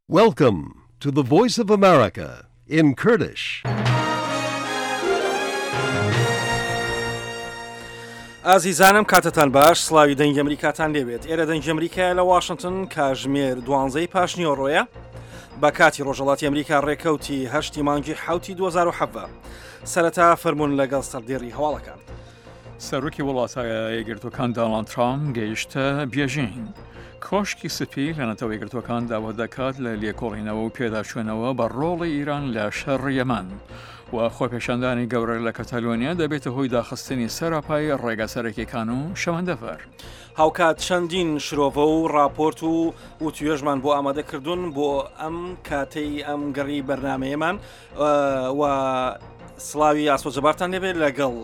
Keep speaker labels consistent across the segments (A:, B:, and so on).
A: Welcome to the Voice of America in Kurdish.
B: ئازیزانم کاتتان باش سڵاوی دەنگی ئەمریکاتان لێبێت ئێرە دەنگی ئەمریکایە لە واشنگتن کاژمێر دوانزەی پاشنیۆڕۆیە بە کاتی ڕۆژەڵاتی ئەمریکا ڕێکەوتی هەشتی مانگی حوتی 2017 سەرەتا فەرمونون لەگەڵ سەردێڕی هەواڵەکان.
C: سەرۆکی وڵاتە یەکگرتووەکان داناڵد ترامپ گەیشتە بێژینگ. کۆشکی سپی لە نەتەوە یەکگرتووەکان داوا دەکات لە لێکۆڵینەوە و پێداچوونەوە بە ڕۆڵی ئیران لە شەڕ یەمەن و خۆپێشاندانی گەورە لە کەتەلۆنیا دەبێتە هۆی داخستنی سەراپای ڕێگا سەرەکیەکان و شەمەندەفەر.
B: هاوکات چەندین شرۆڤە و ڕاپۆرت و وتوێژمان بۆ ئامادە کردوون بۆ ئەم کاتەی ئەم گەڕی بەرنمەیەمان و سڵاوی ئاسۆ جەبارتان لێبێت لەگەڵ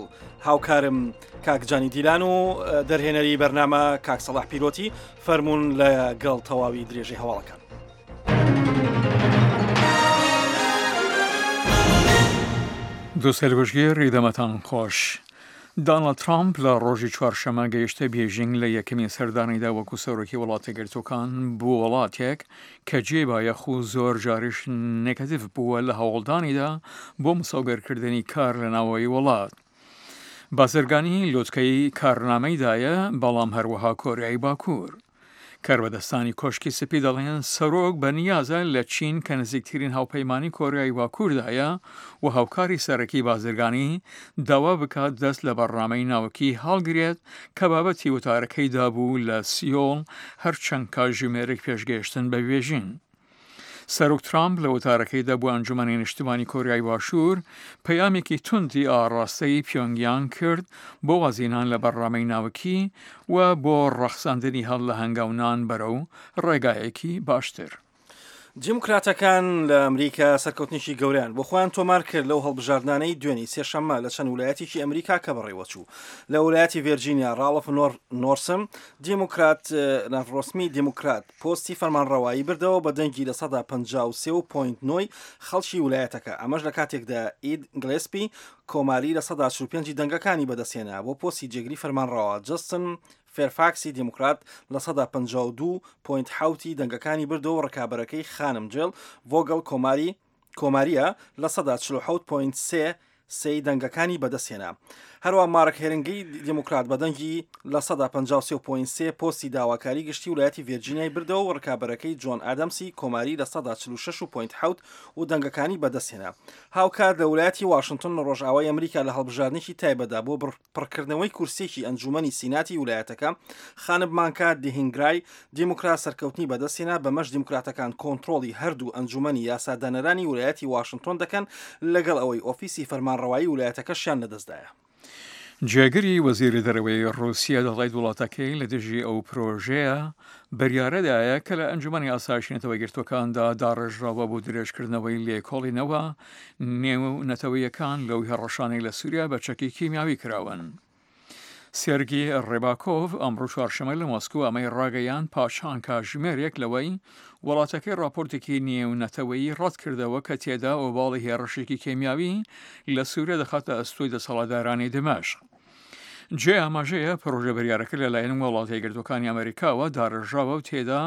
B: هاوکارم کاک جانی دیلان و دەرهێنەری بەرنامە کاک سەڵاح پیرۆتی فەرمونون لەگەڵ تەواوی درێژەی هەواڵەکان.
C: دوسەرگوشگێڕی دەمەتان خۆش. دانڵد ترامپ لە ڕۆژی چوارشەمە گەیشتە بێژینگ لە یەکەمین سەردانیدا وەکو سەرۆکی وڵاتەگرتووەکان بۆ وڵاتێک کە جێی بایەخ و زۆر جاریش نێگەتیڤ بووە لە هەوڵدانیدا بۆ مسۆگەرکردنی کار لە ناوەوەی وڵات. بازرگانی لوتکەی کارنامەیدایە، بەڵام هەروەها کۆریای باکوور. کاربەدەستانی کۆشکی سپی دەڵێن سەرۆک بە نیازە لە چین کە نزیکترین هاوپەیمانی کۆریای باکووردایە و هاوکاری سەرەکی بازرگانی، داوا بکات دەست لە بەڕنامەی ناوکی هەڵگرێت کە بابەتی وتارەکەیدا بوو لە سیۆڵ هەر چەند کاتژمێرێک پێش گەیشتن بە بێژینگ. سەرۆک ترامپ لە وتارەکەیدا بۆ ئەنجومەنی نیشتمانی کۆریای باشوور پەیامێکی توندی ئاڕاستەی پیۆنگیانگ کرد بۆ وازهێنان لە بەرنامەی ناوکی و بۆ ڕەخساندنی هەل لە هەنگاونان بەرەو ڕێگایەکی باشتر.
B: دیموکراتەکان لە ئەمریکا سەرکەوتنێکی گەورەیان بۆ خۆیان تۆمار کرد لەو هەڵبژاردنانەی دوێنی سێشەممە لە چەند ولایەتێکی ئەمریکا کە بەڕێوەچوو. لە ولایەتی ڤێرجینیا ڕاڵف نۆرسم دیموکرات ناڤرۆسمی دیموکرات پۆستی فەرمانڕەوایی بردەوە بە دەنگی 53.9 ی خەڵکی ولایەتەکە ئەمەش لە کاتێکدا ئید گلێسپی کۆماری 45% ی دەنگەکانی بەدەستهێنا بۆ پۆستی جێگری فەرمانڕەوا جەستن فێرفاکسی دیموکرات 52.7% ی دەنگەکانی بردەوە و ڕکابەرەکەی خانم جێل ڤۆگەڵ کۆماری کۆمارییە 44.3% سێی دەنگەکانی بەدەستهێنا. هەروەها مارک هێرنگی دیموکرات بە دەنگی 53.3% پۆستی داواکاری گشتی ولایەتی ڤێرجینیای بردەوە و ڕکابەرەکەی جۆن ئادەمسی کۆماری 46.7% و دەنگەکانی بەدەستهێنا. هاوکات لە ولایەتی واشنتن لە ڕۆژئاوای ئەمریکا لە هەڵبژاردنێکی تایبەتدا بۆ پڕکردنەوەی کورسییەکی ئەنجوومەنی سیناتی ولایەتەکە، خانم مانکا دهینگرای دیموکرات سەرکەوتنی بەدەستهێنا، بەمەش دیموکراتەکان کۆنترۆڵی هەردوو ئەنجوومەنی یاسادانەرانی ولایەتی واشنتۆن دەکەن، لەگەڵ ئەوەی ئۆفیسی فەرمانڕەوایی ولایەتەکەشیان لەدەستدایە.
C: جێگری وەزیری دەرەوەی ڕووسیە دەڵێت وڵاتەکەی لە دژی ئەو پرۆژەیە بریارەدایە کە لە ئەنجومەنی ئاسایشی نەتەوە یەکگرتووەکاندا داڕێژراوە بۆ درێژکردنەوەی لێکۆڵینەوە نێو نەتەوەیەکان لەو هێڕەشانەی لە سووریا بە چەکی کیمیاوی کراون. سێرگی ڕێباکۆڤ ئەمڕۆ چوارشەممە لە مۆسکۆ ئەمەی ڕاگەیاند پاش چەند کاژمێرێک لەوەی وڵاتەکەی ڕاپۆرتێکی نێونەتەوەیی ڕەتکردەوە کە تێدا ئۆباڵی هێڕشێکی کیمیاوی لە سووریا دەخاتە ئەستۆی دەسەڵاتدارانی دمەشق. جێی ئاماژەیە پرۆژە بریارەکە لەلایەن وڵاتە یەکگرتووەکانی ئەمەریکاوە داڕێژراوە و تێدا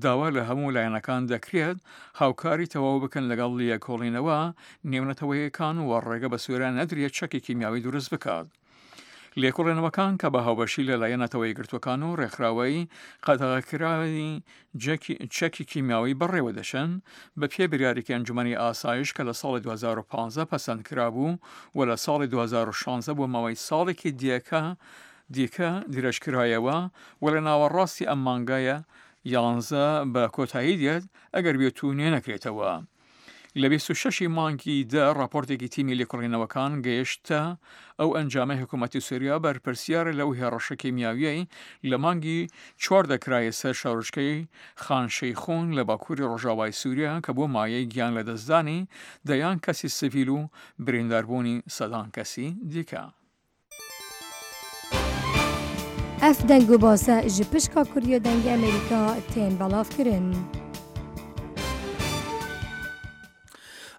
C: داوا لە هەموو لایەنەکان دەکرێت هاوکاری تەواو بکەن لەگەڵ لێکۆڵینەوە نێونەتەوەیەکان و ڕێگە بە سووریا نەدرێت چەکی کیمیاوی دروست بکات. لێکۆڵێنەوەکان کە بە هاوبەشی لەلایەن نەتەوە یەکگرتووەکان و ڕێکخراوەی قەدەغەکراوی چەکی کیمیاوی بەڕێوە دەچن، بە پێی بریارێکی ئەنجومەنی ئاسایش کە لە ساڵی 2015 پەسەند کرابوو و لە ساڵی 2016 بۆ ماوەی ساڵێکی دیکە دیکە درێژکرایەوە و لە ناوەڕاستی ئەم مانگایە یانزە بە کۆتایی دێت ئەگەر بێت و نوێ نەکرێتەوە. لە 26 ی مانگی دە ڕاپۆرتێکی تیمی لێکۆڵینەوەکان گەیشتە ئەو ئەنجامەی حکوومەتی سووریا بەرپرسیارە لەو هێڕشە کیمیاویەی لە مانگی چواردا کرایە سەر شارۆچکەی خان شەیخون لە باکووری ڕۆژاوای سووریا کە بووە مایەی گیان لەدەستدانی دەیان کەسی سڤیل و برینداربوونی سەدان کەسی دیکە.
D: Ev deng û base ji pişka Kurdiya Dengê Amerîka tên belavkirin.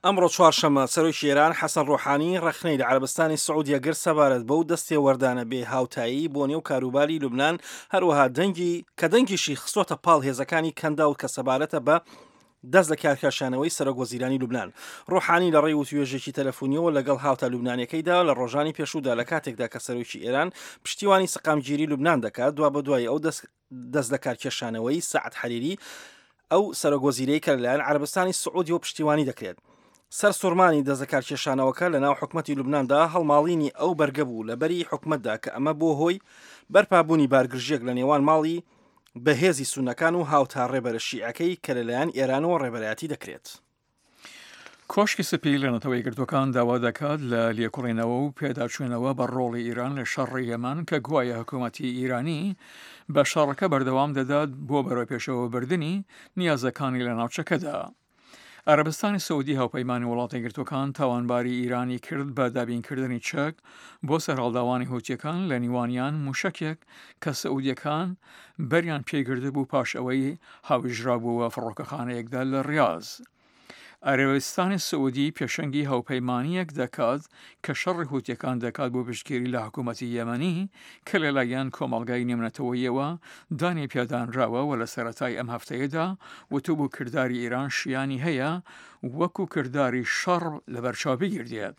B: ئەمڕۆ چوارشەممە سەرۆکی ئێران حەسەن ڕۆحانی ڕەخنەی لە عەرەبستانی سعودیە گرت سەبارەت بەو دەستێوەردانە بێ هاوتایی بۆ نێو کاروباری لوبنان، هەروەها دەنگی کە دەنگیشی خستۆتە پاڵ هێزەکانی کەنداو کە سەبارەتە بە. دەست لە کارکێشانەوەی سەرۆک وەزیرانی لوبنان ڕۆحانی لە ڕێی وتوێژێکی تەلەفونیەوە لەگەڵ هاوتا لوبنانیەکەیدا لە ڕۆژانی پێشوودا لە کاتێکدا کە سەرۆکی ئێران پشتیوانی سەقامگیری لوبنان دەکات دوابەدوای ئەو دەست دەست لە کارکێشانەوەی سەعد حەریری ئەو سەرۆک وەزیرەی کە لەلایەن عەرەبستانی سعودیەوە پشتیوانی دەکرێت. سەرسوڕمانی دەست لەکارکێشانەوەکە لەناو حکومەتی لوبناندا هەڵماڵینی ئەو بەرگە بوو لە بەری حکومەتدا کە ئەمە بۆ هۆی بەرپابوونی بارگرژیەک لە نێوان ماڵی بەهێزی سوننەکان و هاوتا ڕێبەرە شیعەکەی کە لەلایەن ئێرانەوە ڕێبەرایەتی دەکرێت.
C: کۆشکی سپی لە نەتەوە یەکگرتووەکان داوا دەکات لە لێکۆڵینەوە و پێداچوونەوە بە ڕۆڵی ئیران لە شەڕی یەمەن کە گوایە حکوومەتی ئیرانی بە شەڕەکە بەردەوام دەدات بۆ بەرەوپێشەوەبردنی نیازەکانی لە ناوچەکەدا. عەرەبستانی سعودی هاوپەیمانی وڵاتە یەکگرتووەکان تاوانباری ئیرانی کرد بە دابینکردنی چەک بۆ سەرهەڵداوانی هوتیەکان لە نیوانیان موشەکێک کە سعودیەکان بەریان پێگرتبوو پاش ئەوەی هاویژرابووە فڕۆکەخانەیەکدا لە ڕیاز. عەرەبستانی سعودی پێشەنگی هاوپەیمانییەک دەکات کە شەڕی هوتیەکان دەکات بۆ پشتگیری لە حکوومەتی یەمەنی کە لەلایەن کۆمەڵگای نێونەتەوەییەوە دانی پیادانراوە و لە سەرەتای ئەم هەفتەیەدا وتبوو کرداری ئیران شیانی هەیە وەکو کرداری شەڕ لەبەرچاو بگیردێت.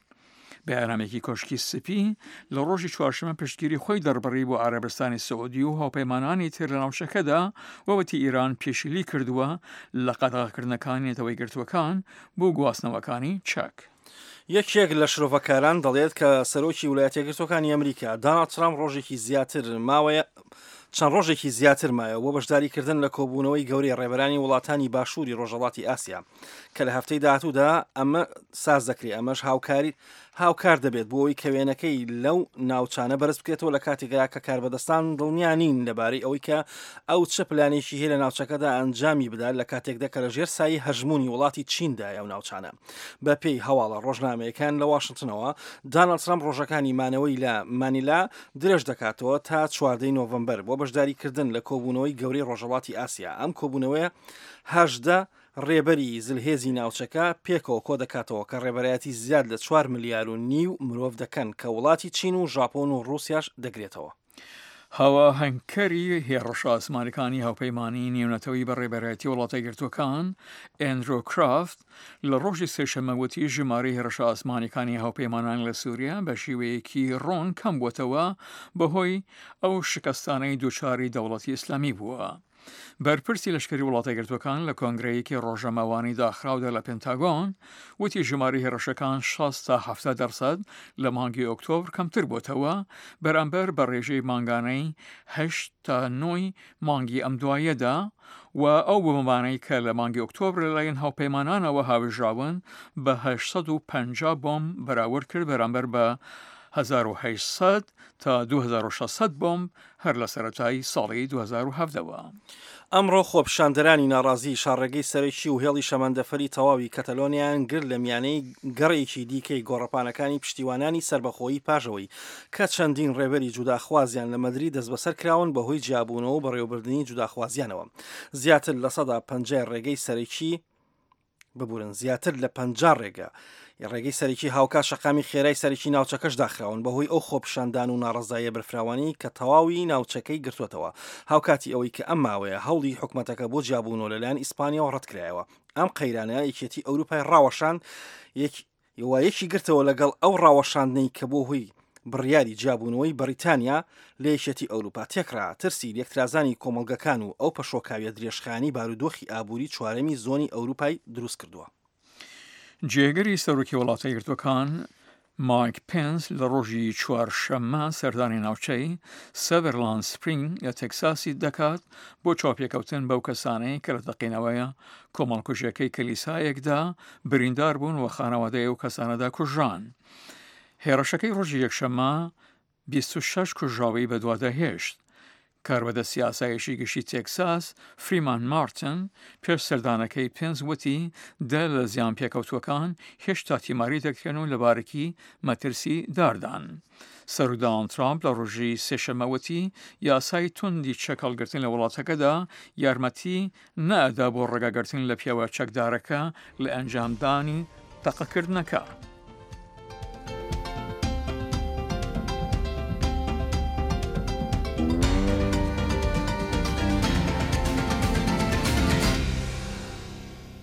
C: بەیاننامەیەکی کۆشکی سپی لە ڕۆژی چوارشەممە پشتگیری خۆی دەربڕی بۆ عەرەبستانی سعودی و هاوپەیمانانی تر لە ناوچەکەدا و وتی ئیران پێشیلی کردووە لە قەدەغەکردنەکانی نەتەوە یەکگرتووەکان بۆ گواستنەوەکانی چەک.
B: یەکێک لە شرۆڤەکاران دەڵێت کە سەرۆکی ولایەتە یەکگرتووەکانی ئەمریکا داناڵد ترامپ ڕۆژێکی زیاتر ماوەیە چەند ڕۆژێکی زیاتر مایەوە بۆ بەشداریکردن لە کۆبوونەوەی گەورەی ڕێبەرانی وڵاتانی باشووری ڕۆژهەڵاتی ئاسیا کە لە هەفتەی داهاتوودا ئەمە ساز دەکرێت ئەمەش هاوکاری هاوکار دەبێت بۆ ئەوەی کە وێنەکەی لەو ناوچانە بەرز بکرێتەوە لە کاتێکدا کە کاربەدەستان دڵنیا نین لەبارەی ئەوەی کە ئەو چ پلانێکی هەیە لە ناوچەکەدا ئەنجامی بدات لە کاتێکدا کە لە ژێر سایەی هەژموونی وڵاتی چیندایە ئەو ناوچانە. بەپێی هەواڵە ڕۆژنامەیەکان لە واشنتنەوە، داناڵد ترەمپ ڕۆژەکانی مانەوەی لە مانیلا درێژ دەکاتەوە تا چواردەی نۆڤەمبەر بۆ بەشداریکردن لە کۆبوونەوەی گەورەی ڕۆژهەڵاتی ئاسیا. ئەم کۆبوونەوەیە 18 ڕێبەری زلهێزی ناوچەکە پێکەوە کۆدەکاتەوە کە ڕێبەرایەتی زیاد لە چوار ملیار و نیو مرۆڤ دەکەن کە وڵاتی چین و ژاپۆن و ڕووسیاش دەگرێتەوە.
C: هاواهەنگکەری هێڕشە ئاسمانەکانی هاوپەیمانیی نێونەتەوەیی بە ڕێبەرایەتی وڵاتە یەکگرتووەکان، ئەندرۆ کرافت، لە ڕۆژی سێشەممە وتی ژمارەی هێڕشە ئاسمانیەکانی هاوپەیمانان لە سووریا بە شێوەیەکی ڕوون کەم بووەتەوە بەهۆی ئەو شکستانەی دووچاری دەوڵەتی ئیسلامی بووە. بەرپرسی لەشکری وڵاتە یەکگرتووەکان لە کۆنگرەیەکی ڕۆژنامەوانی داخراودا لە پنتاگۆن وتی ژمارەی هێڕشەکان 60 تا 70 دەرسەد لە مانگی ئۆکتۆبر کەمتر بۆتەوە بەرامبەر بە ڕێژەی مانگانەی 8 تا 9 مانگی ئەم دوایەدا و ئەو بۆمبانەی کە لە مانگی ئۆکتۆبر لەلایەن هاوپەیمانانەوە هاوێژراون بە 850 بۆمب بەراورد کرد بەرامبەر بە 1800 تا 2600 بۆمب هەر لە سەرەتای ساڵی 2017 وە.
B: ئەمڕۆ خۆپیشاندەرانی ناڕازی شاڕێگەی سەرەکی و هێڵی شەمەندەفەری تەواوی کەتەلۆنیایان گرت لە میانەی گەڕێکی دیکەی گۆڕەپانەکانی پشتیوانانی سەربەخۆیی پاش ئەوەی کە چەندین ڕێبەری جوداخوازیان لە مەدرید دەستبەسەر کراون بەهۆی جیابوونەوە و بەڕێوەبردنی جوداخوازیانەوە زیاتر لە سەدا پەنجای ڕێگەی سەرەکی ببورن زیاتر لە 50 ڕێگە ڕێگەی سەرەکی هاوکات شەقامی خێرای سەرەکی ناوچەکەش داخراون بەهۆی ئەو خۆپیشاندان و ناڕەزاییە بەرفراوانی کە تەواوی ناوچەکەی گرتووەتەوە هاوکاتی ئەوەی کە ئەم ماوەیە هەوڵی حکومەتەکە بۆ جیابوونەوە لەلایەن ئیسپانیاوە ڕەتکرایەوە ئەم قەیرانە یەکێتی ئەوروپای ڕاوەشاند یەک و یەکی گرتەوە لەگەڵ ئەو ڕاوەشاندنەی کە بۆ هۆی بڕیاری جیابوونەوەی بەڕیتانیا لە یەکێتی ئەوروپا تێکڕا ترسی لێکترازانی کۆمەڵگەکان و ئەو پەشۆکاویە درێژخایەنەی بارودۆخی ئابووری چوارەمی زۆنی ئەوروپای دروست کردووە.
C: جێگری سەرۆکی وڵاتە یەکگرتووەکان مایک پێنس لە ڕۆژی چوارشەممە سەردانی ناوچەی سەدەرلاند سپرینگ لە تێکساسی دەکات بۆ چاوپێکەوتن بەو کەسانەی کە لە تەقینەوەیە کۆمەڵکوژیەکەی کلیسایەکدا بریندار بوون و خانەوادەی ئەو کەسانەدا کوژران. هێڕشەکەی ڕۆژی یەکشەممە 26 کوژراوی بەدوادا هێشت. کاربەدەستی ئاسایشی گشتی تێکساس، فریمان مارتن، پێش سەردانەکەی پێنس وتی دە لە زیانپێکەوتووەکان هێشتا تیماری دەکرێن و لە بارێکی مەترسیداردان. سەرۆک داناڵد ترامپ لە ڕۆژی سێشەممە وتی یاسای توندی چەک هەڵگرتن لە وڵاتەکەدا یارمەتی نەئەدا بۆ ڕێگاگرتن لە پیاوە چەکدارەکە لە ئەنجامدانی تەقەکردنەکە.